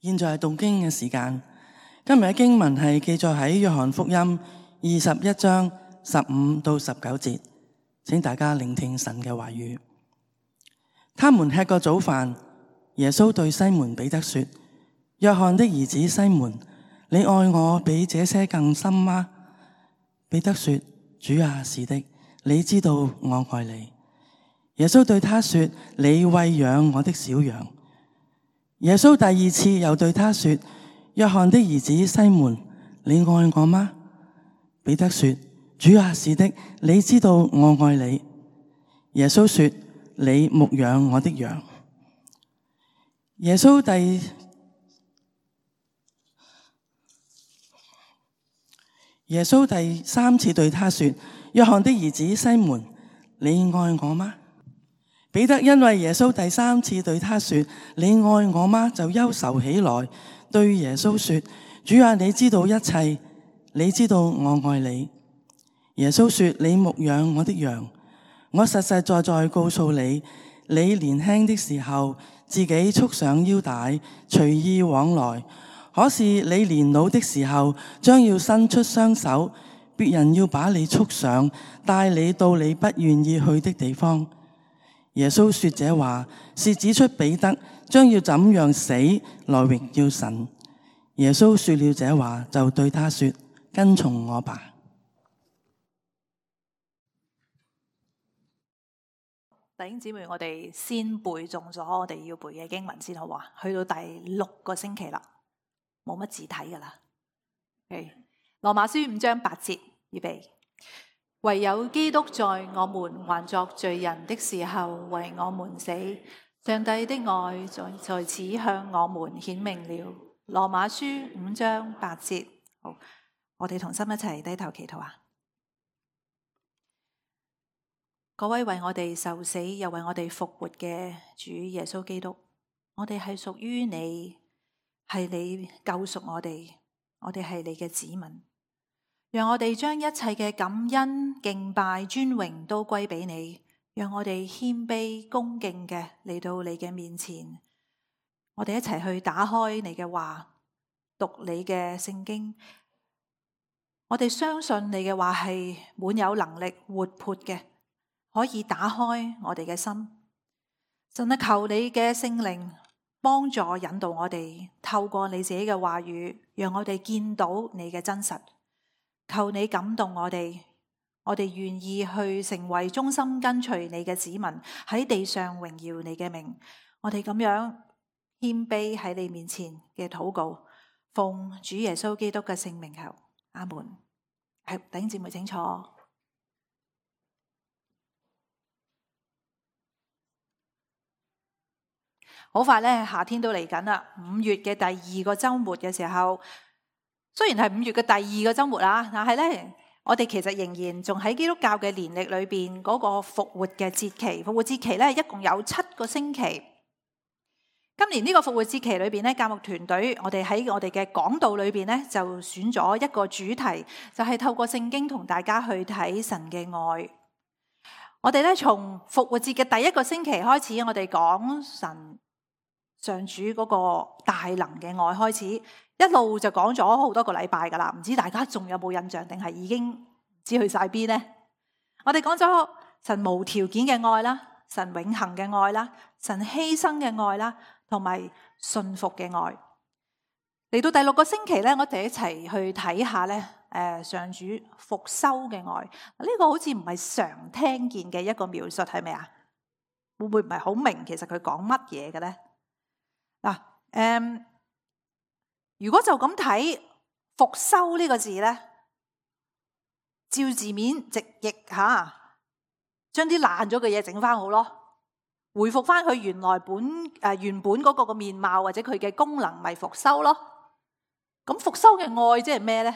現在係讀經嘅時間。今日嘅經文係記載喺約翰福音21章15到19節，請大家聆聽神嘅話語。他們吃過早飯，耶穌對西門彼得說：約翰的兒子西門，你愛我比這些更深嗎？彼得說：主啊，是的，你知道我愛你。耶穌對他說：你餵養我的小羊。耶穌第二次又對他說：約翰的兒子西門，你愛我嗎？彼得說：主啊，是的，你知道我愛你。耶穌說：你牧養我的羊。耶穌第三次對他說：約翰的兒子西門，你愛我嗎？彼得因為耶穌第三次對他說：你愛我嗎？就憂愁起來，對耶穌說：主啊，你知道一切，你知道我愛你。耶穌說：你牧養我的羊。我實實在在告訴你，你年輕的時候，自己束上腰帶，隨意往來。可是你年老的時候，將要伸出雙手，別人要把你束上，帶你到你不願意去的地方。耶穌說這話，是指出彼得將要怎樣死來榮耀神。耶穌說了這話，就對他說：跟從我吧。弟兄姊妹，我哋先背誦咗我哋要背嘅經文先好話，去到第6個星期啦，冇乜字睇噶啦。羅馬書5章8節，預備。唯有基督在我們還作罪人的時候為我們死，上帝的愛在此向我們顯明了。羅馬書5章8節。好，我哋同心一齊低頭祈禱啊！各位為我哋受死又為我哋復活嘅主耶穌基督，我哋係屬於你，係你救贖我哋係你嘅子民。讓我哋將一切嘅感恩、敬拜、尊榮都歸俾你。讓我哋謙卑、恭敬嘅嚟到你嘅面前。我哋一齊去打開你嘅話，讀你嘅聖經。我哋相信你嘅話係滿有能力、活潑嘅，可以打開我哋嘅心。神啊，求你嘅聖靈幫助引導我哋，透過你自己嘅話語，讓我哋見到你嘅真實。求你感動我哋願意去成為忠心跟隨你嘅子民，喺地上榮耀你嘅名。我哋咁樣謙卑喺你面前嘅禱告，奉主耶穌基督嘅聖名求，阿門。弟兄姊妹請坐。好快咧，夏天都嚟緊啦。5月嘅第2個週末嘅時候。雖然係5月嘅第2個週末啦，但係咧，我哋其實仍然仲喺基督教嘅年曆裏邊嗰個復活嘅節期。復活節期咧，一共有7個星期。今年呢個復活節期裏邊咧，教牧團隊我哋喺我哋嘅講道裏邊咧，就選咗一個主題，就係透過聖經同大家去睇神嘅愛。我哋咧從復活節嘅第1個星期開始，我哋講神上主嗰個大能嘅愛開始。一路就講咗好多個禮拜噶啦，唔知大家仲有冇印象，定係已經唔知去晒邊呢？我哋講咗神無條件嘅愛啦，神永恆嘅愛啦，神犧牲嘅愛啦，同埋信服嘅愛。嚟到第6個星期咧，我哋一齊去睇下咧，上主復修嘅愛。呢個好似唔係常聽見嘅一個描述，係咪啊？會唔會唔係好明其實佢講乜嘢嘅咧？嗱，如果就咁睇復修呢個字呢，照字面直譯吓，將啲爛咗嘅嘢整翻好咯，回復翻佢原本嗰個面貌或者佢嘅功能，咪復修咯。咁復修嘅愛即係咩呢？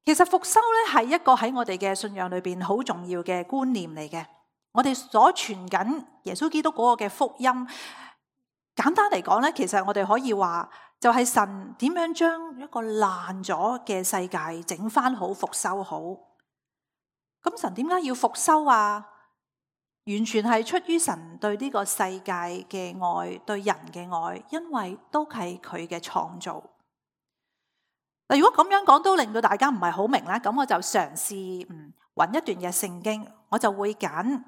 其實復修呢係一個喺我哋嘅信仰裏邊好重要嘅觀念嚟嘅。我哋所傳緊耶穌基督嗰個嘅福音，簡單嚟講呢，其實我哋可以話，就係神點樣將一個爛咗嘅世界整翻好、復修好。咁神點解要復修啊？完全係出於神對呢個世界嘅愛，對人嘅愛，因為都係佢嘅創造。嗱，如果咁樣講都令到大家唔係好明咧，咁我就嘗試揾一段嘅聖經，我就會揀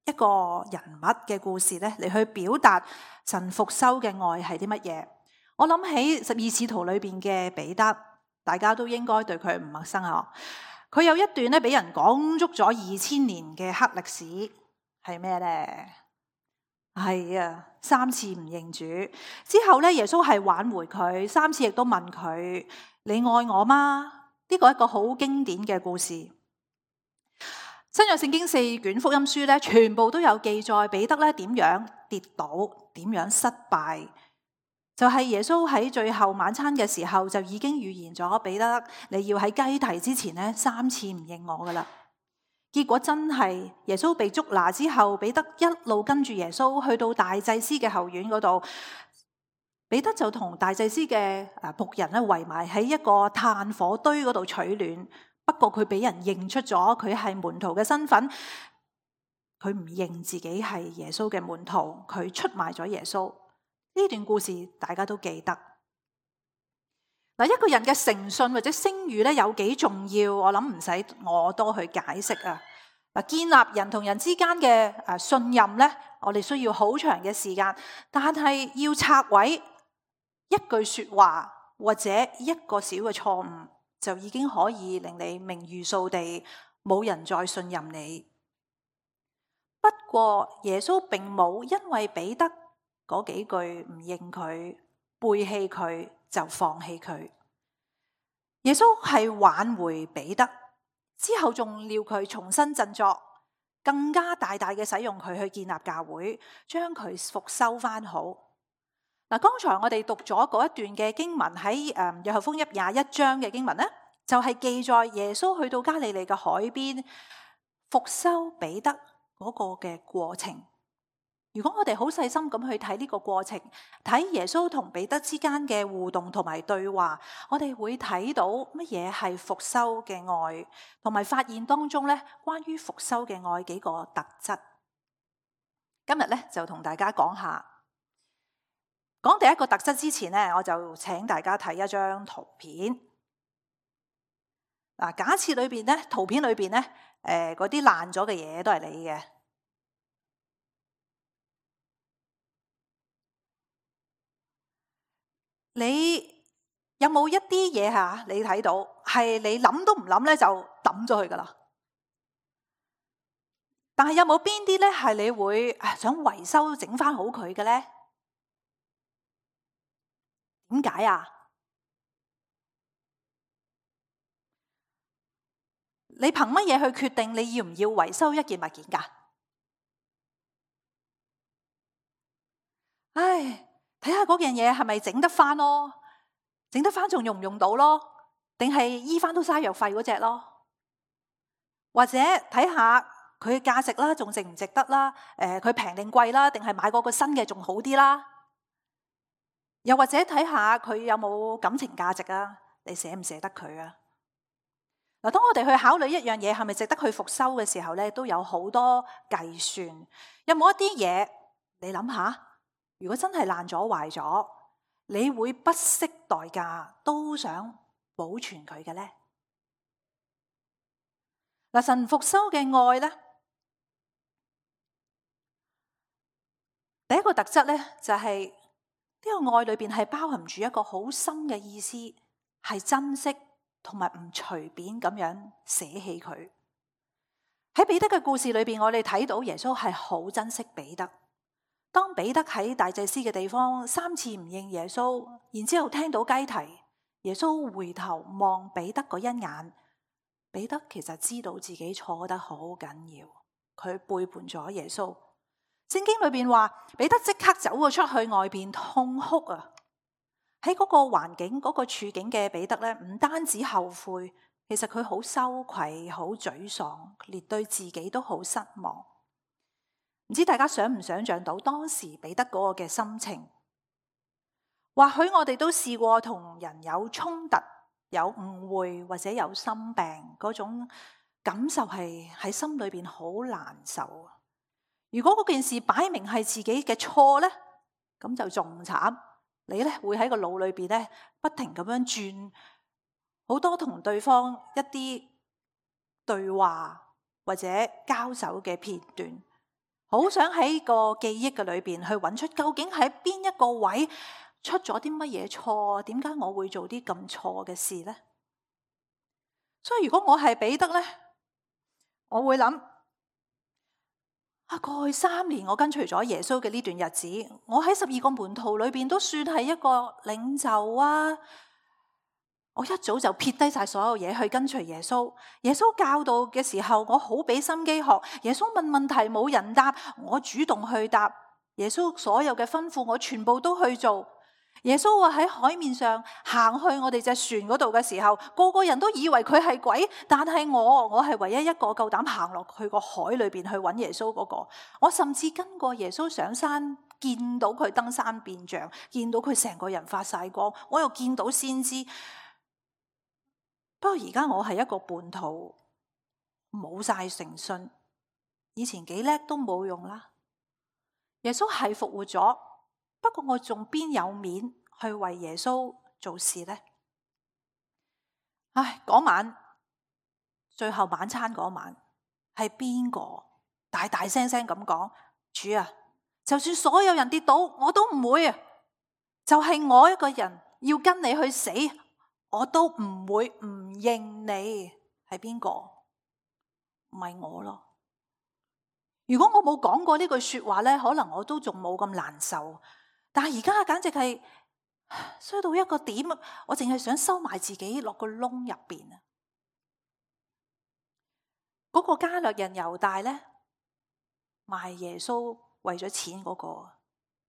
一個人物嘅故事咧嚟去表達神復修嘅愛係啲乜嘢。我諗起12使徒裏邊嘅彼得，大家都應該對佢唔陌生啊。佢有一段咧俾人講足咗2000年嘅黑歷史，係咩咧？係啊，3次唔認主之後咧，耶穌係挽回佢3次，亦都問佢：你愛我嗎？呢個係一個好經典嘅故事。新約聖經4卷福音書咧，全部都有記載彼得咧點樣跌倒，點樣失敗。就係耶穌喺最後晚餐嘅時候就已經預言咗彼得，你要喺雞啼之前咧3次唔認我噶啦。結果真係耶穌被捉拿之後，彼得一路跟住耶穌去到大祭司嘅後院嗰度，彼得就同大祭司嘅僕人咧圍埋喺一個炭火堆嗰度取暖。不過佢俾人認出咗佢係門徒嘅身份，佢唔認自己係耶穌嘅門徒，佢出賣咗耶穌。呢段故事大家都記得。嗱，一個人嘅誠信或者聲譽咧有幾重要，我諗唔使我多去解釋啊。嗱，建立人同人之間嘅信任咧，我哋需要好長嘅時間，但係要拆毀一句說話或者一個小嘅錯誤，就已經可以令你名譽掃地，冇人再信任你。不過耶穌並冇因為彼得嗰幾句唔認佢、背棄佢就放棄佢。耶穌係挽回彼得之後，仲料佢重新振作，更加大大嘅使用佢去建立教會，將佢復修翻好。嗱，剛才我哋讀咗嗰一段嘅經文喺約翰福音21章嘅經文咧，就係記載耶穌去到加利利嘅海邊復修彼得嗰個嘅過程。如果我哋好細心咁去睇呢個過程，睇耶穌同彼得之間嘅互動同埋對話，我哋會睇到乜嘢係復修嘅愛，同埋發現當中咧關於復修嘅愛幾個特質。今日咧就同大家講下。講第一個特質之前咧，我就請大家睇一張圖片。嗱，假設裏邊咧，圖片裏邊咧，嗰啲爛咗嘅嘢都係你嘅。你有冇一啲嘢吓？你睇到係你諗都唔諗咧，就抌咗佢噶啦。但係有冇邊啲咧係你會想維修整翻好佢嘅咧？點解啊？你憑乜嘢去決定你要唔要維修一件物件噶？唉，睇下嗰件嘢係咪整得翻咯，整得翻仲用唔用到咯？定係醫翻都嘥藥費嗰隻咯？或者睇下佢嘅價值啦，仲值唔值得啦？佢平定貴啦，定係買嗰個新嘅仲好啲啦？又或者睇下佢有冇感情價值啊？你捨唔捨得佢啊？嗱，當我哋去考慮一樣嘢係咪值得去復修嘅時候咧，都有好多計算。有冇一啲嘢你諗下？如果真係爛咗壞咗，你會不惜代價都想保存佢嘅咧？嗱，神復修嘅愛咧，第一個特質咧就係呢個愛裏邊係包含住一個好深嘅意思，係珍惜同埋唔隨便咁樣捨棄佢。喺彼得嘅故事裏邊，我哋睇到耶穌係好珍惜彼得。當彼得喺大祭司嘅地方3次唔認耶穌，然之後聽到雞啼，耶穌回頭望彼得嗰一眼，彼得其實知道自己錯得好緊要，佢背叛咗耶穌。聖經裏邊話，彼得即刻走咗出去外邊痛哭啊！喺嗰個環境、嗰個處境嘅彼得咧，唔單止後悔，其實佢好羞愧、好沮喪，連對自己都好失望。唔知大家想唔想像到當時彼得嗰個嘅心情？或許我哋都試過同人有衝突、有誤會或者有心病，嗰種感受係喺心裏邊好難受。如果嗰件事擺明係自己嘅錯咧，咁就仲慘。你咧會喺個腦裏邊咧不停咁樣轉好多同對方一啲對話或者交手嘅片段，好想喺個記憶嘅裏邊去揾出究竟喺邊一個位出咗啲乜嘢錯，點解我會做啲咁錯嘅事呢？所以如果我係彼得呢，我會諗過去3年我跟隨咗耶穌嘅呢段日子，我喺12個門徒裏邊都算係一個領袖啊！我一早就撇低晒所有嘢去跟隨耶穌。耶穌教導嘅時候，我好俾心機學。耶穌問問題冇人答，我主動去答。耶穌所有嘅吩咐，我全部都去做。耶穌話喺海面上行去我哋隻船嗰度嘅時候，個個人都以為佢係鬼，但係我係唯一一個夠膽行落去個海裏邊去揾耶穌嗰個。我甚至跟過耶穌上山，見到佢登山變像，見到佢成個人發晒光，我又見到先知。不過而家我係一個叛徒，冇晒誠信，以前幾叻都冇用啦。耶穌係復活咗，不過我仲邊有面去為耶穌做事呢？嗰晚最後晚餐嗰晚，係邊個大大聲聲咁講：主啊，就算所有人跌倒，我都唔會啊！就係我一個人要跟你去死，我都唔會唔認你。係邊個？唔係我咯。如果我冇講過呢句說話呢，可能我都仲冇咁難受。但係而家簡直係衰到一個點，我淨係想收埋自己落個窿入邊啊！嗰個加略人猶大呢，賣耶穌為咗錢嗰個，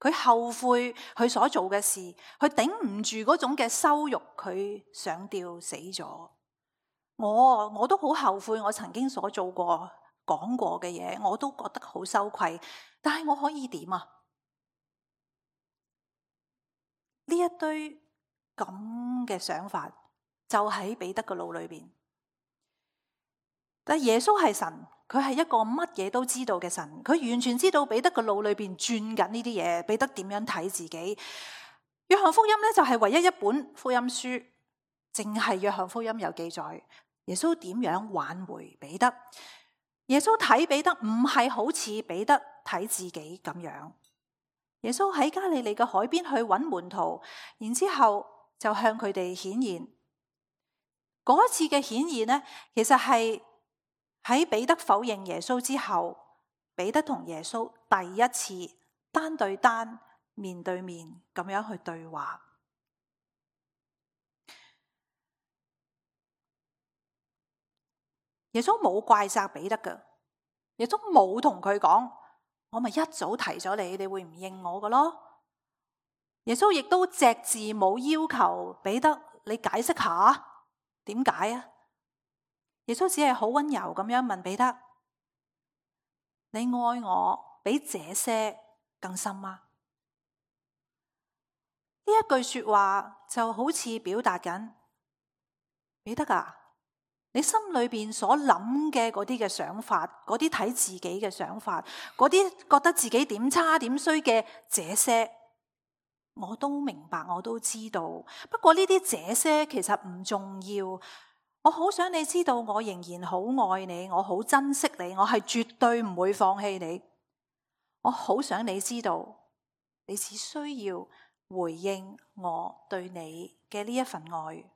佢後悔佢所做嘅事，佢頂唔住嗰種嘅羞辱，佢上吊死咗。我都好後悔我曾經所做過講過嘅嘢，我都覺得好羞愧。但係我可以點啊？呢一堆咁嘅想法就喺彼得嘅腦裏邊。但耶穌係神，佢係一個乜嘢都知道嘅神，佢完全知道彼得嘅腦裏邊轉緊呢啲嘢，彼得點樣睇自己。約翰福音呢，就係唯一一本福音書，淨係約翰福音有記載耶穌點樣挽回彼得。耶穌睇彼得唔係好似彼得睇自己咁樣。耶穌喺加利利嘅海邊去揾門徒，然之後就向佢哋顯現。嗰一次嘅顯現呢，其實係喺彼得否認耶穌之後，彼得同耶穌第一次單對單、面對面咁樣去對話。耶穌冇怪責彼得㗎，耶穌冇同佢講：我咪一早提咗你，你會唔認我㗎咯？耶穌亦都隻字冇要求彼得你解釋下點解啊？耶穌只係好溫柔咁樣問彼得：你愛我比這些更深嗎？呢一句說話就好似表達緊，彼得啊，你心裏邊所諗嘅嗰啲嘅想法，嗰啲睇自己嘅想法，嗰啲覺得自己點差點衰嘅這些，我都明白，我都知道。不過呢啲這些其實唔重要。我好想你知道，我仍然好愛你，我好珍惜你，我係絕對唔會放棄你。我好想你知道，你只需要回應我對你嘅呢一份愛。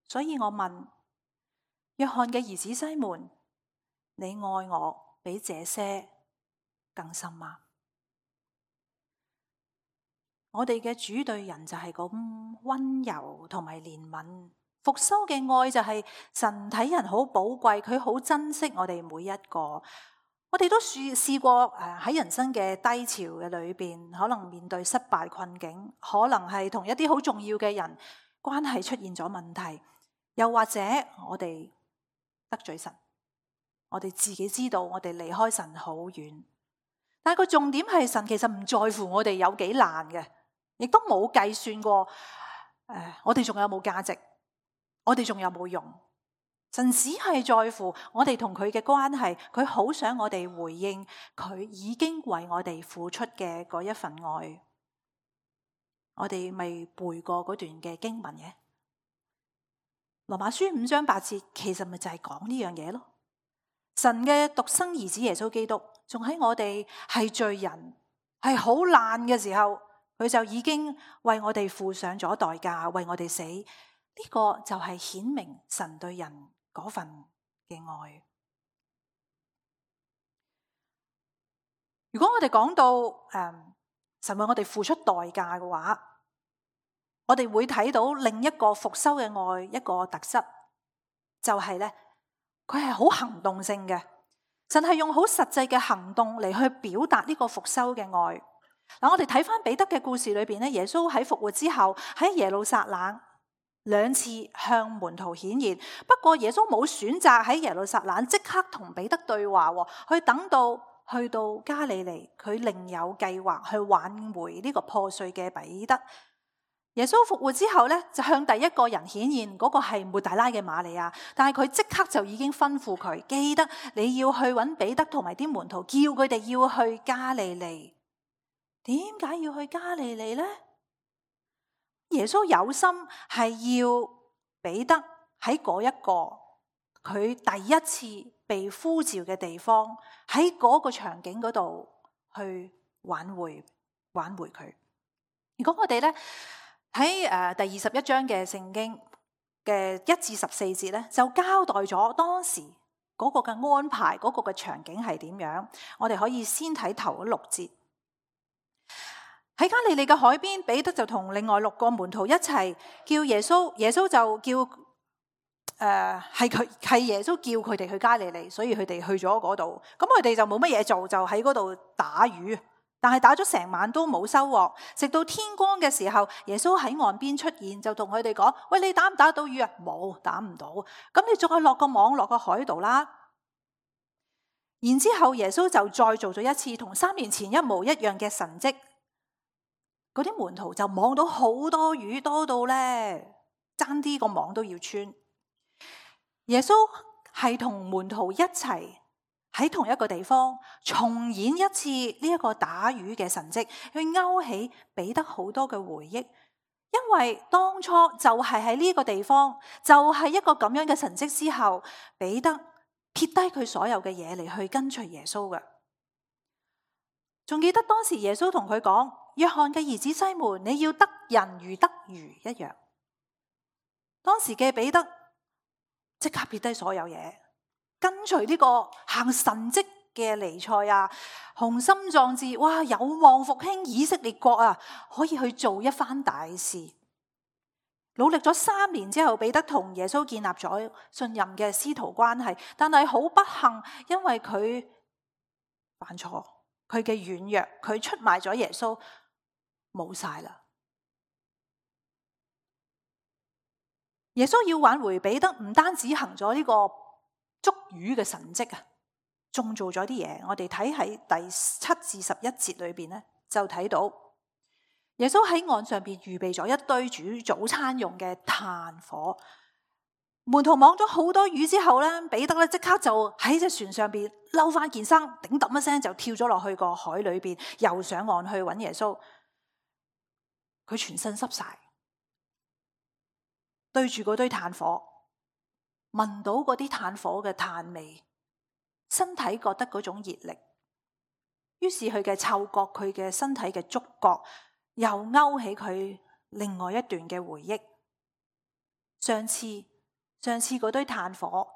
所以我問約翰嘅兒子西門，你愛我比這些更深嗎？我哋嘅主對人就係咁溫柔同埋憐憫。復修嘅愛就係神睇人好寶貴，佢好珍惜我哋每一個。我哋都試過喺人生嘅低潮嘅裏邊，可能面對失敗困境，可能係同一啲好重要嘅人關係出現咗問題，又或者我哋得罪神，我哋自己知道我哋離開神好遠。但係個重點係神其實唔在乎我哋有幾難嘅，亦都冇計算過我哋仲有冇價值，我哋仲有冇用。神只係在乎我哋同佢嘅關係，佢好想我哋回應佢已經為我哋付出嘅嗰一份愛。我哋咪背過嗰段嘅經文嘅，羅馬書5章8節，其實咪就係講呢樣嘢咯。神嘅獨生兒子耶穌基督，仲喺我哋係罪人，係好爛嘅時候，佢就已經為我哋付上咗代價，為我哋死。呢個就係顯明神對人嗰份嘅愛。如果我哋講到神為我哋付出代價嘅話，我哋會睇到另一個復修嘅愛一個特質，就係咧，佢係好行動性嘅。神係用好實際嘅行動嚟去表達呢個復修嘅愛。嗱，我哋睇翻彼得嘅故事裏邊咧，耶穌喺復活之後喺耶路撒冷2次向門徒顯現，不過耶穌冇選擇喺耶路撒冷即刻同彼得對話，去等到去到加利利，佢另有計劃去挽回呢個破碎嘅彼得。耶穌復活之後咧，就向第一個人顯現，嗰個係抹大拉嘅瑪利亞，但係佢即刻就已經吩咐佢，記得你要去揾彼得同埋啲門徒，叫佢哋要去加利利。點解要去加利利呢？耶穌有心係要彼得喺嗰一個佢第一次被呼召嘅地方，喺嗰個場景嗰度去挽回佢。如果我哋咧喺第21章嘅聖經嘅1至14節咧，就交代咗當時嗰個嘅安排，嗰個嘅場景係點樣。我哋可以先睇頭6節。喺加利利嘅海邊，彼得就同另外6個門徒一齊叫耶穌，耶穌就叫係耶穌叫佢哋去加利利，所以佢哋去咗嗰度。咁佢哋就冇乜嘢做，就喺嗰度打魚，但係打咗成晚都冇收穫。直到天光嘅時候，耶穌喺岸邊出現，就同佢哋講：喂，你打唔打到魚啊？冇，打唔到。咁你再落個網落個海度啦。然之後耶穌就再做咗一次同3年前一模一樣嘅神蹟。嗰啲門徒就網到好多魚，多到咧爭啲個網都要穿。耶穌係同門徒一齊喺同一個地方重演一次呢一個打魚嘅神蹟，去勾起彼得好多嘅回憶。因為當初就係喺呢個地方，就係一個咁樣嘅神蹟之後，彼得撇低佢所有嘅嘢嚟去跟隨耶穌嘅。仲記得當時耶穌同佢講：約翰嘅兒子西門，你要得人如得魚一樣。當時嘅彼得即刻撇低所有嘢，跟隨呢個行神蹟嘅彌賽亞，雄心壯志，哇，有望復興以色列國啊，可以去做一番大事。努力咗3年之後，彼得同耶穌建立咗信任嘅師徒關係，但係好不幸，因為佢犯錯，佢嘅軟弱，佢出賣咗耶穌，冇晒啦。耶穌要挽回彼得，唔單止行咗呢個捉魚嘅神蹟啊，仲做咗啲嘢。我哋睇喺第7至11節裏邊咧，就睇到耶穌喺岸上邊預備咗一堆煮早餐用嘅炭火。門徒網咗好多魚之後咧，彼得咧即刻就喺隻船上邊嬲翻件衫，頂揼一聲就跳咗落去個海裏邊，游上岸去揾耶穌。佢全身濕晒，對住嗰堆炭火，聞到嗰啲炭火嘅炭味，身體覺得嗰種熱力，於是佢嘅嗅覺，佢嘅身體嘅觸覺，又勾起佢另外一段嘅回憶。上次嗰堆炭火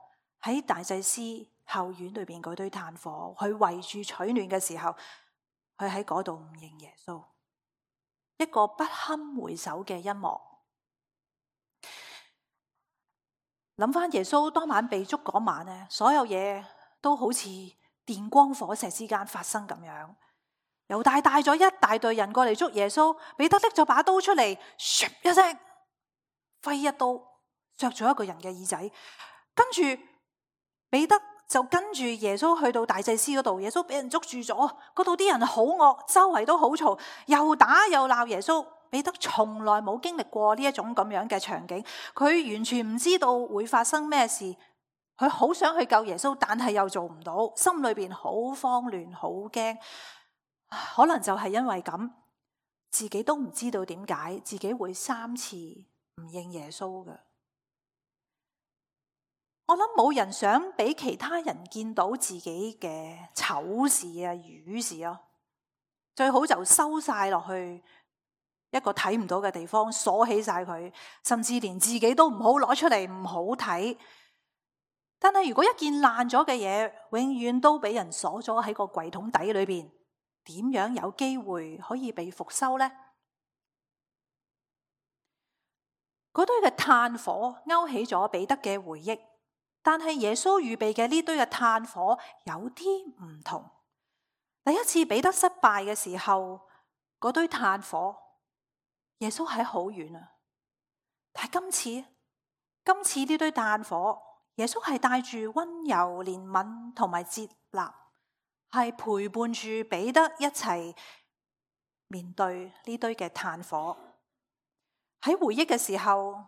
喺大祭司後院裏邊嗰堆炭火，佢圍住取暖嘅時候，佢喺嗰度唔認耶穌，一個不堪回首嘅一幕。諗翻耶穌當晚被捉嗰晚咧，所有嘢都好似電光火石之間發生咁樣。猶大帶咗一大隊人過嚟捉耶穌，彼得拎咗把刀出嚟，唰一聲揮一刀削咗一個人嘅耳仔，跟住彼得就跟住耶穌去到大祭司嗰度，耶穌俾人捉住咗，嗰度啲人好惡，周圍都好嘈，又打又鬧耶穌。彼得從來冇經歷過呢一種咁樣嘅場景，佢完全唔知道會發生咩事，佢好想去救耶穌，但係又做唔到，心裏邊好慌亂，好驚。可能就係因為咁，自己都唔知道點解自己會3次唔認耶穌嘅。我諗冇人想俾其他人見到自己嘅醜事啊、瘀事啊，最好就收晒落去一個睇唔到嘅地方，鎖起晒佢，甚至連自己都唔好攞出嚟，唔好睇。但係如果一件爛咗嘅嘢，永遠都俾人鎖咗喺個櫃桶底裏邊，點樣有機會可以被復修呢？嗰堆嘅炭火勾起咗彼得嘅回憶，但係耶穌預備嘅呢堆嘅炭火有啲唔同。第一次彼得失敗嘅時候，嗰堆炭火，耶穌喺好遠啊。但係今次呢堆炭火，耶穌係帶住溫柔、憐憫同埋接納，係陪伴住彼得一齊面對呢堆嘅炭火。喺回憶嘅時候，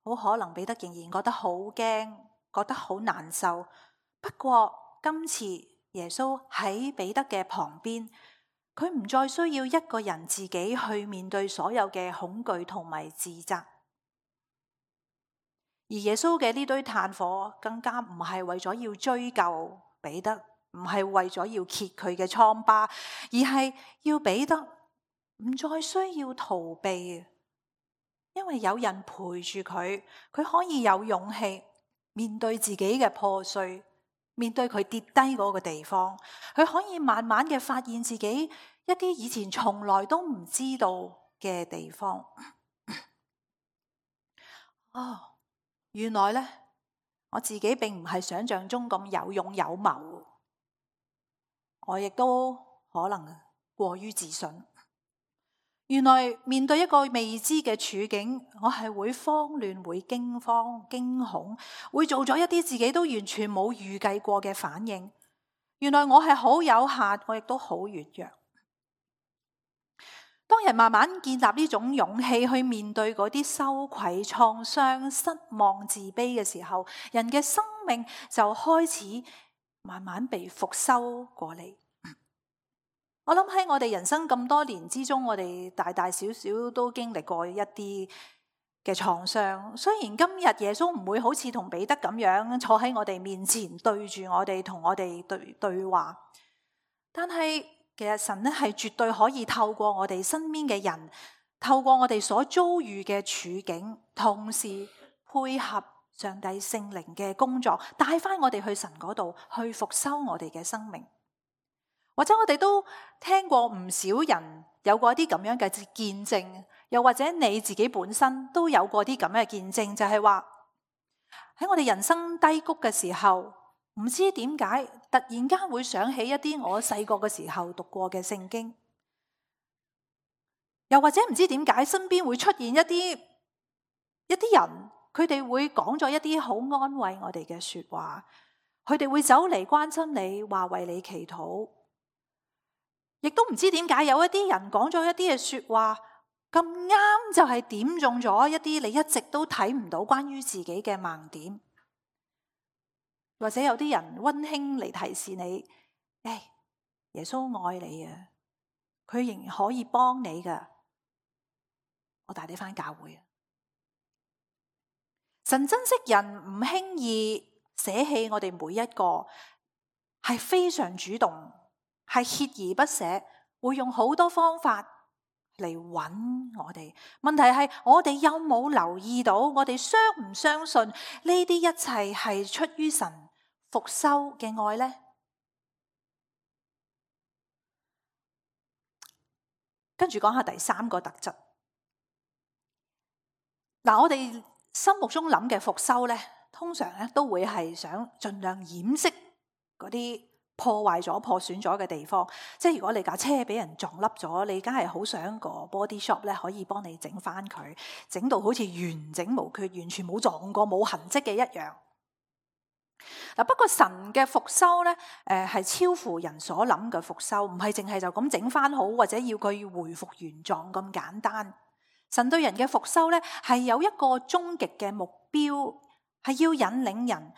好可能彼得仍然覺得好驚，覺得好難受。不過今次耶穌喺彼得嘅旁邊，佢唔再需要一個人自己去面對所有嘅恐懼同埋自責。而耶穌嘅呢堆炭火更加唔係為咗要追究彼得，唔係為咗要揭佢嘅瘡疤，而係要彼得唔再需要逃避。因為有人陪住佢，佢可以有勇氣面對自己嘅破碎，面對佢跌低嗰個地方，佢可以慢慢嘅發現自己一啲以前從來都唔知道嘅地方。原來呢，我自己並唔係想象中咁有勇有謀，我亦都可能過於自信。原來面對一個未知嘅處境，我係會慌亂、會驚慌、驚恐，會做咗一啲自己都完全冇預計過嘅反應。原來我係好有限，我亦都好軟弱。當人慢慢建立呢種勇氣去面對嗰啲羞愧、創傷、失望、自卑嘅時候，人嘅生命就開始慢慢被復修過嚟。我諗喺我哋人生咁多年之中，我哋大大小小都經歷過一啲嘅創傷。雖然今日耶穌唔會好似同彼得咁樣坐喺我哋面前對住我哋，同我哋對話，但係其實神咧係絕對可以透過我哋身邊嘅人，透過我哋所遭遇嘅處境，同時配合上帝聖靈嘅工作，帶翻我哋去神嗰度去復修我哋嘅生命。或者我哋都聽過唔少人有過啲咁樣嘅見證，又或者你自己本身都有過啲咁嘅見證，就係話喺我哋人生低谷嘅時候，唔知點解突然間會想起一啲我細個嘅時候讀過嘅聖經，又或者唔知點解身邊會出現一啲人，佢哋會講咗一啲好安慰我哋嘅說話，佢哋會走嚟關心你，話為你祈禱。亦都唔知點解有一啲人講咗一啲嘅說話咁啱，就係點中咗一啲你一直都睇唔到關於自己嘅盲點。或者有啲人溫馨嚟提示你，耶穌愛你啊，佢仍然可以幫你噶，我帶你返教會啊。神珍惜人，唔輕易捨棄我哋每一個，係非常主動，係鍥而不捨，會用好多方法嚟揾我哋。問題係我哋有冇留意到，我哋相唔相信呢啲一切係出於神復修嘅愛呢？跟住講下第三個特質。嗱，我哋心目中諗嘅復修呢，通常咧都會係想盡量掩飾嗰啲破壞咗、破損咗嘅地方。即係如果你架車俾人撞凹咗，你梗係好想個 body shop 咧可以幫你整翻佢，整到好似完整無缺、完全冇撞過、冇痕跡嘅一樣。嗱，不過神嘅復修咧，係超乎人所諗嘅復修，唔係淨係就咁整翻好，或者要佢回復原狀咁簡單。神對人嘅復修咧，係有一個終極嘅目標，係要引領人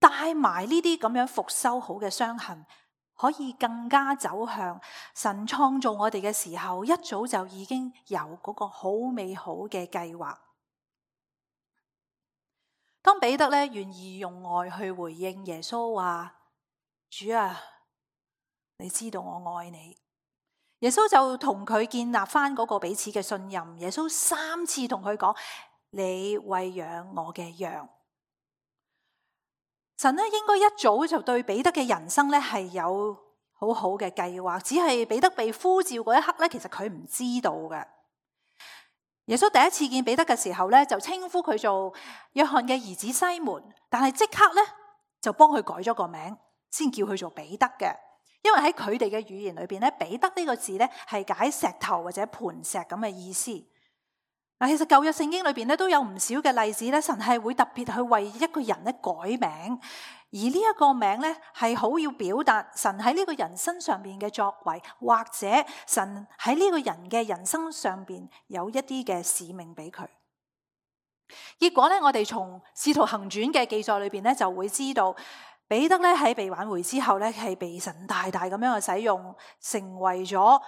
帶埋呢啲咁樣復修好嘅傷痕，可以更加走向神創造我哋嘅時候，一早就已經有嗰個好美好嘅計劃。當彼得咧願意用愛去回應耶穌話：主啊，你知道我愛你。耶穌就同佢建立翻嗰個彼此嘅信任。耶穌3次同佢講：你餵養我嘅羊。神咧應該一早就對彼得嘅人生咧係有好好嘅計劃，只係彼得被呼召嗰一刻咧，其實佢唔知道嘅。耶穌第一次見彼得嘅時候咧，就稱呼佢做約翰嘅兒子西門，但係即刻咧就幫佢改咗個名，先叫佢做彼得嘅。因為喺佢哋嘅語言裏邊咧，彼得呢個字咧係解石頭或者磐石咁嘅意思。嗱，其實舊約聖經裏邊咧都有唔少嘅例子咧，神係會特別去為一個人咧改名，而呢一個名咧係好要表達神喺呢個人身上邊嘅作為，或者神喺呢個人嘅人生上邊有一啲嘅使命俾佢。結果咧，我哋從使徒行傳嘅記載裏邊咧就會知道，彼得咧喺被挽回之後咧，係被神大大咁樣去使用，成為咗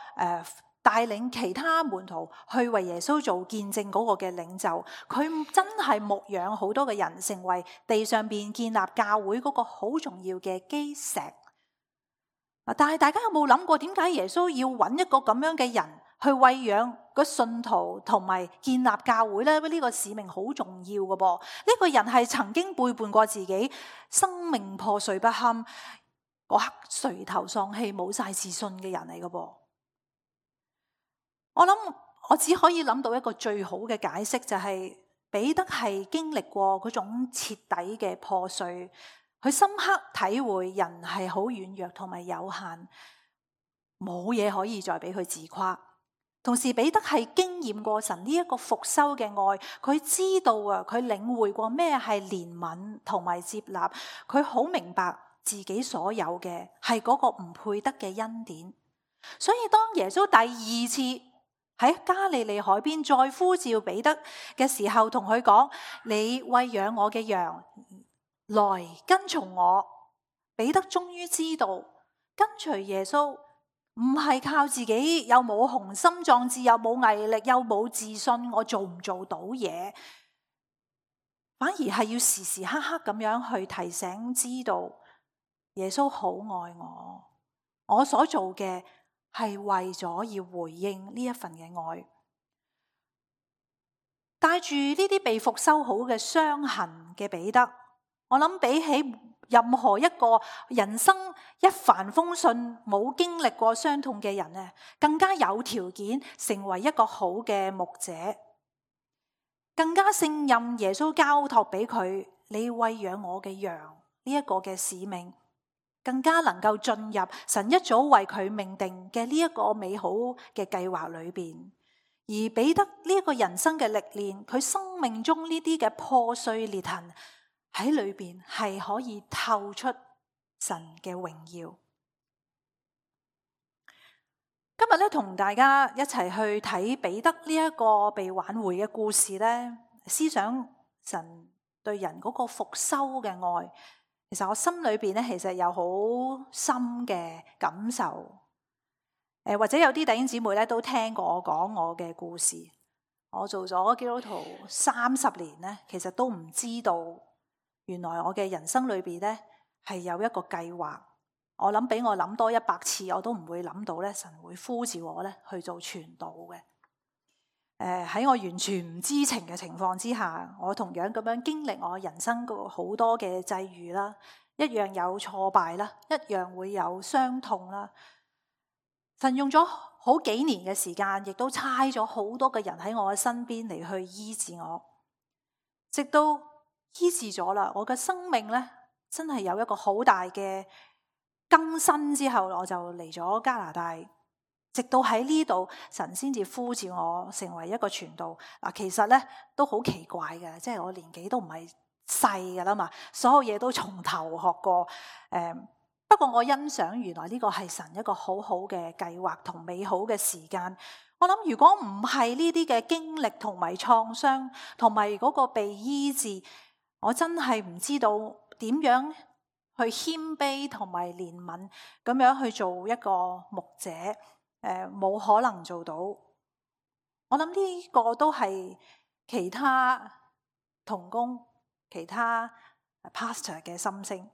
帶領其他門徒去為耶穌做見證嗰個嘅領袖。佢真係牧養好多嘅人，成為地上邊建立教會嗰個好重要嘅基石。但係大家有冇諗過，點解耶穌要揾一個咁樣嘅人去餵養個信徒同埋建立教會呢？呢個使命好重要嘅噃。呢個人係曾經背叛過自己，生命破碎不堪，嗰刻垂頭喪氣冇晒自信嘅人嚟嘅噃。我諗我只可以諗到一個最好嘅解釋，就係彼得係經歷過嗰種徹底嘅破碎，佢深刻體會人係好軟弱同埋有限，冇嘢可以再俾佢自誇。同時彼得係經驗過神呢一個復修嘅愛，佢知道啊，佢領會過咩係憐憫同埋接納，佢好明白自己所有嘅係嗰個唔配得嘅恩典。所以當耶穌第2次喺加利利海邊再呼召彼得嘅時候，同佢講：你餵養我嘅羊，來跟從我。彼得終於知道跟隨耶穌唔係靠自己，又冇雄心壯志，又冇毅力，又冇自信，我做唔做到嘢，反而係要時時刻刻咁樣去提醒，知道耶穌好愛我，我所做嘅係為咗要回應呢一份嘅愛。帶住呢啲被復修好嘅傷痕嘅彼得，我諗比起任何一個人生一帆風順冇經歷過傷痛嘅人呢，更加有條件成為一個好嘅牧者，更加勝任耶穌交託俾佢，你餵養我嘅羊呢一個嘅使命，更加能夠進入神一早為佢命定嘅呢一個美好嘅計劃裏邊。而彼得呢一個人生嘅歷練，佢生命中呢啲嘅破碎裂痕喺裏邊係可以透出神嘅榮耀。今日咧同大家一齊去睇彼得呢一個被挽回嘅故事咧，思想神對人嗰個復修嘅愛。其實我心裏邊咧，其實有好深嘅感受。或者有啲弟兄姊妹咧都聽過我講我嘅故事。我做咗基督徒30年咧，其實都唔知道原來我嘅人生裏邊咧係有一個計劃。我諗俾我諗多100次，我都唔會諗到咧神會呼召我咧去做傳道嘅。喺我完全唔知情嘅情況之下，我同樣咁樣經歷我人生個好多嘅際遇啦，一樣有挫敗啦，一樣會有傷痛啦。神用咗好幾年嘅時間，亦都差咗好多嘅人喺我嘅身邊嚟去醫治我，直到醫治咗啦，我嘅生命咧真係有一個好大嘅更新之後，我就嚟咗加拿大。直到喺呢度，神先至呼召我成為一個傳道。嗱，其實咧都好奇怪嘅，即係我年紀都唔係細噶啦嘛，所有嘢都從頭學過。不過我欣賞原來呢個係神一個好好嘅計劃同美好嘅時間。我諗如果唔係呢啲嘅經歷同埋創傷，同埋嗰個被醫治，我真係唔知道點樣去謙卑同埋憐憫咁樣去做一個牧者，冇可能做到。我諗呢個都係其他同工、其他 pastor 嘅心聲。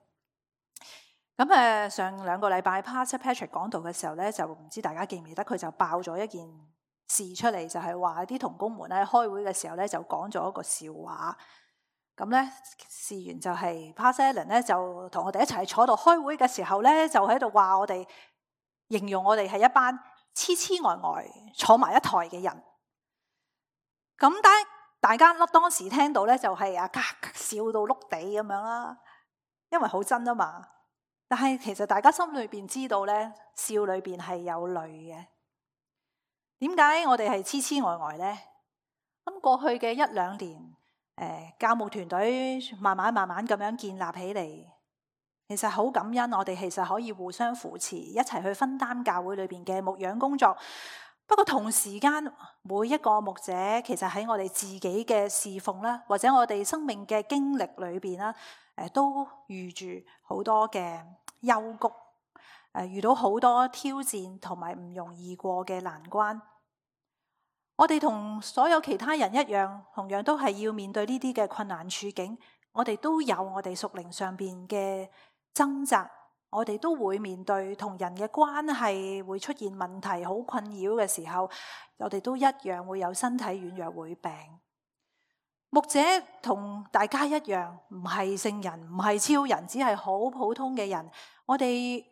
咁上2個禮拜 Pastor Patrick 講道嘅時候咧，就唔知大家記唔記得佢就爆咗一件事出嚟，就係話啲同工們喺開會嘅時候咧就講咗一個笑話。咁咧事緣就係 Pastor Allen 咧就同我哋一齊坐度開會嘅時候咧，就喺度話我哋，形容我哋係一班痴痴呆呆坐埋一台嘅人。咁大家當時聽到咧就係笑到碌地咁樣啦，因為好真啊嘛。但係其實大家心裏邊知道咧，笑裏邊係有淚嘅。點解我哋係痴痴呆呆咧？咁過去嘅1-2年，教牧團隊慢慢咁樣建立起嚟，其實好感恩，我哋其實可以互相扶持，一齊去分擔教會裏邊嘅牧養工作。不過同時間，每一個牧者其實喺我哋自己嘅侍奉啦，或者我哋生命嘅經歷裏邊啦，都遇住好多嘅幽谷，遇到好多挑戰同埋唔容易過嘅難關。我哋同所有其他人一樣，同樣都係要面對呢啲嘅困難處境。我哋都有我哋屬靈上邊嘅掙扎。我哋都會面對同人嘅關係會出現問題，好困擾嘅時候，我哋都一樣會有身體軟弱，會病。牧者同大家一樣，唔係聖人，唔係超人，只係好普通嘅人。我哋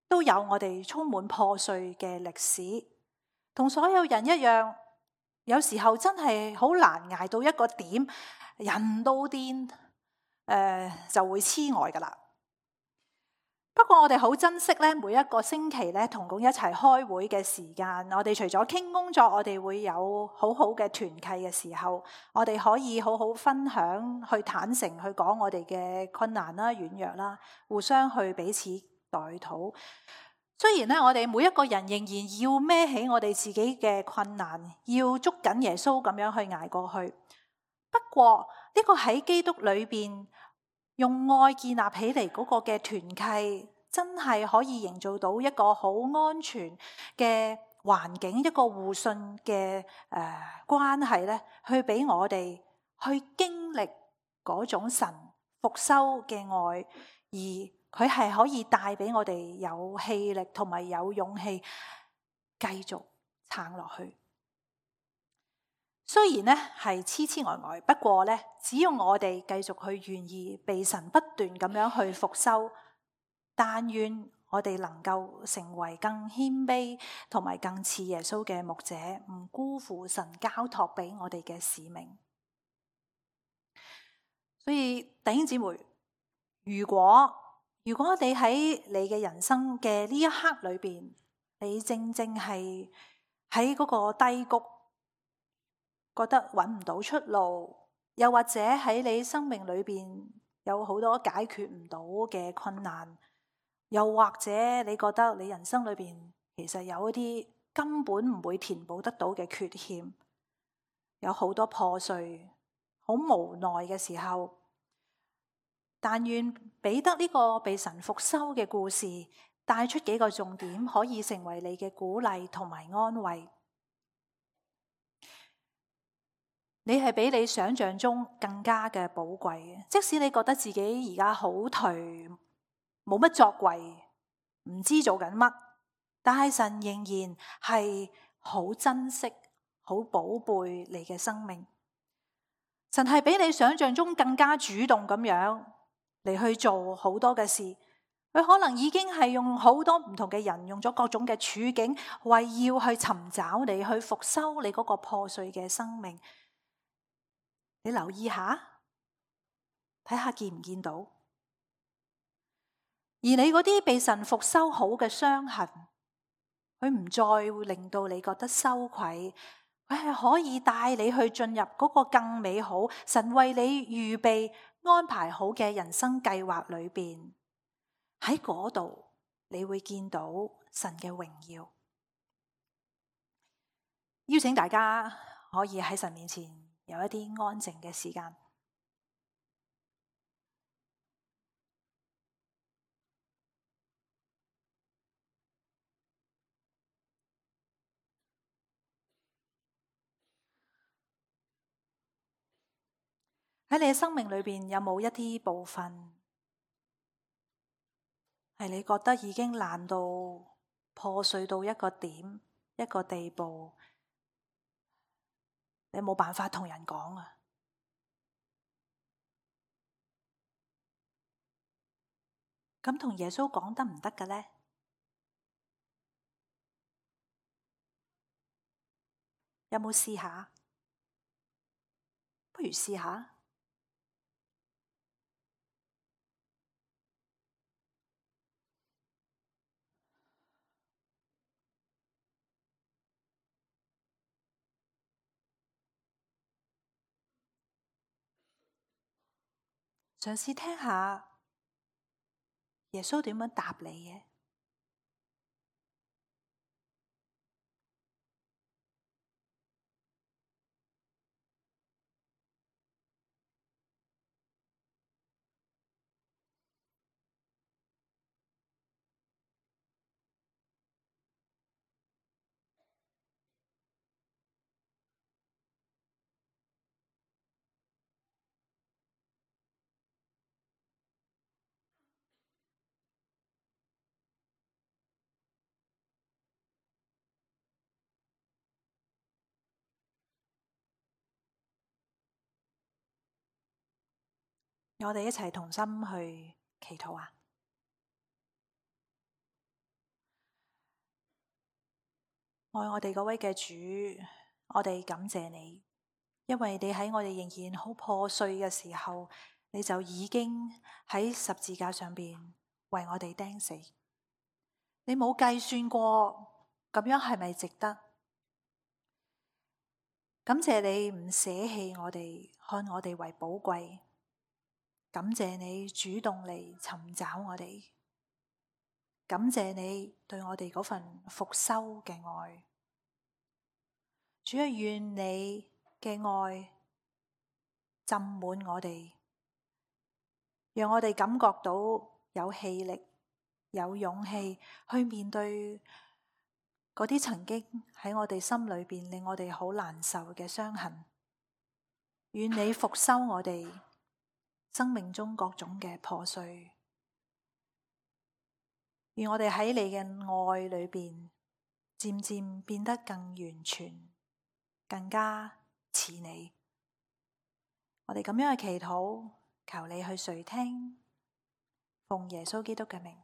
都有我哋充滿破碎嘅歷史，同所有人一樣。有時候真係好難捱到一個點，人都癲，就會痴呆噶啦。不過我哋好珍惜咧，每一個星期咧同工一齊開會嘅時間。我哋除咗傾工作，我哋會有好好嘅團契嘅時候，我哋可以好好分享，去坦誠去講我哋嘅困難啦、軟弱啦，互相去彼此代禱。雖然咧，我哋每一個人仍然要孭起我哋自己嘅困難，要捉緊耶穌咁樣去捱過去。不過呢個喺基督裏邊用愛建立起嚟嗰個嘅團契，真係可以營造到一個好安全嘅環境，一個互信嘅關係咧，去俾我哋去經歷嗰種神復修嘅愛，而佢係可以帶俾我哋有氣力同埋有勇氣繼續撐落去。雖然咧係痴痴呆呆，不過咧，只要我哋繼續去願意被神不斷咁樣去復修，但願我哋能夠成為更謙卑同埋更似耶穌嘅牧者，唔辜負神交託俾我哋嘅使命。所以弟兄姊妹，如果你喺你嘅人生嘅呢一刻裏邊，你正係喺嗰個低谷，覺得揾唔到出路，又或者喺你生命裏邊有好多解決唔到嘅困難，又或者你覺得你人生裏邊其實有一啲根本唔會填補得到嘅缺陷，有好多破碎，好無奈嘅時候，但願彼得呢個被神復修嘅故事帶出幾個重點，可以成為你嘅鼓勵同埋安慰。你係比你想象中更加嘅寶貴嘅，即使你覺得自己而家好頹，冇乜作為，唔知做緊乜，但係神仍然係好珍惜、好寶貝你嘅生命。神係比你想象中更加主動咁樣嚟去做好多嘅事。佢可能已經係用好多唔同嘅人，用咗各種嘅處境，為要去尋找你，去復修你嗰個破碎嘅生命。你留意下，睇下見唔見到？而你嗰啲被神復修好嘅傷痕，佢唔再會令到你覺得羞愧，佢係可以帶你去進入嗰個更美好，神為你預備安排好嘅人生計劃裏邊。喺嗰度，你會見到神嘅榮耀。邀請大家可以喺神面前有一啲安靜嘅時間。喺你嘅生命裏邊有冇一啲部分係你覺得已經爛到破碎到一個點、一個地步，你冇辦法同人講啊？咁同耶穌講得唔得嘅呢？有冇試下？不如試下。嘗試聽下耶穌點樣答你嘅。我哋一齊同心去祈禱啊！愛我哋嗰位嘅主，我哋感謝你，因為你喺我哋仍然好破碎嘅時候，你就已經喺十字架上邊為我哋釘死。你冇計算過咁樣係咪值得？感謝你唔捨棄我哋，看我哋為寶貴。感謝你主動嚟尋找我哋，感謝你對我哋嗰份復修嘅愛。主啊，願你嘅愛浸滿我哋，讓我哋感覺到有氣力、有勇氣去面對嗰啲曾經喺我哋心裏邊令我哋好難受嘅傷痕。願你復修我哋生命中各種嘅破碎，願我哋喺你嘅愛裏邊漸漸變得更完全，更加似你。我哋咁樣嘅祈禱，求你去垂聽，奉耶穌基督嘅名。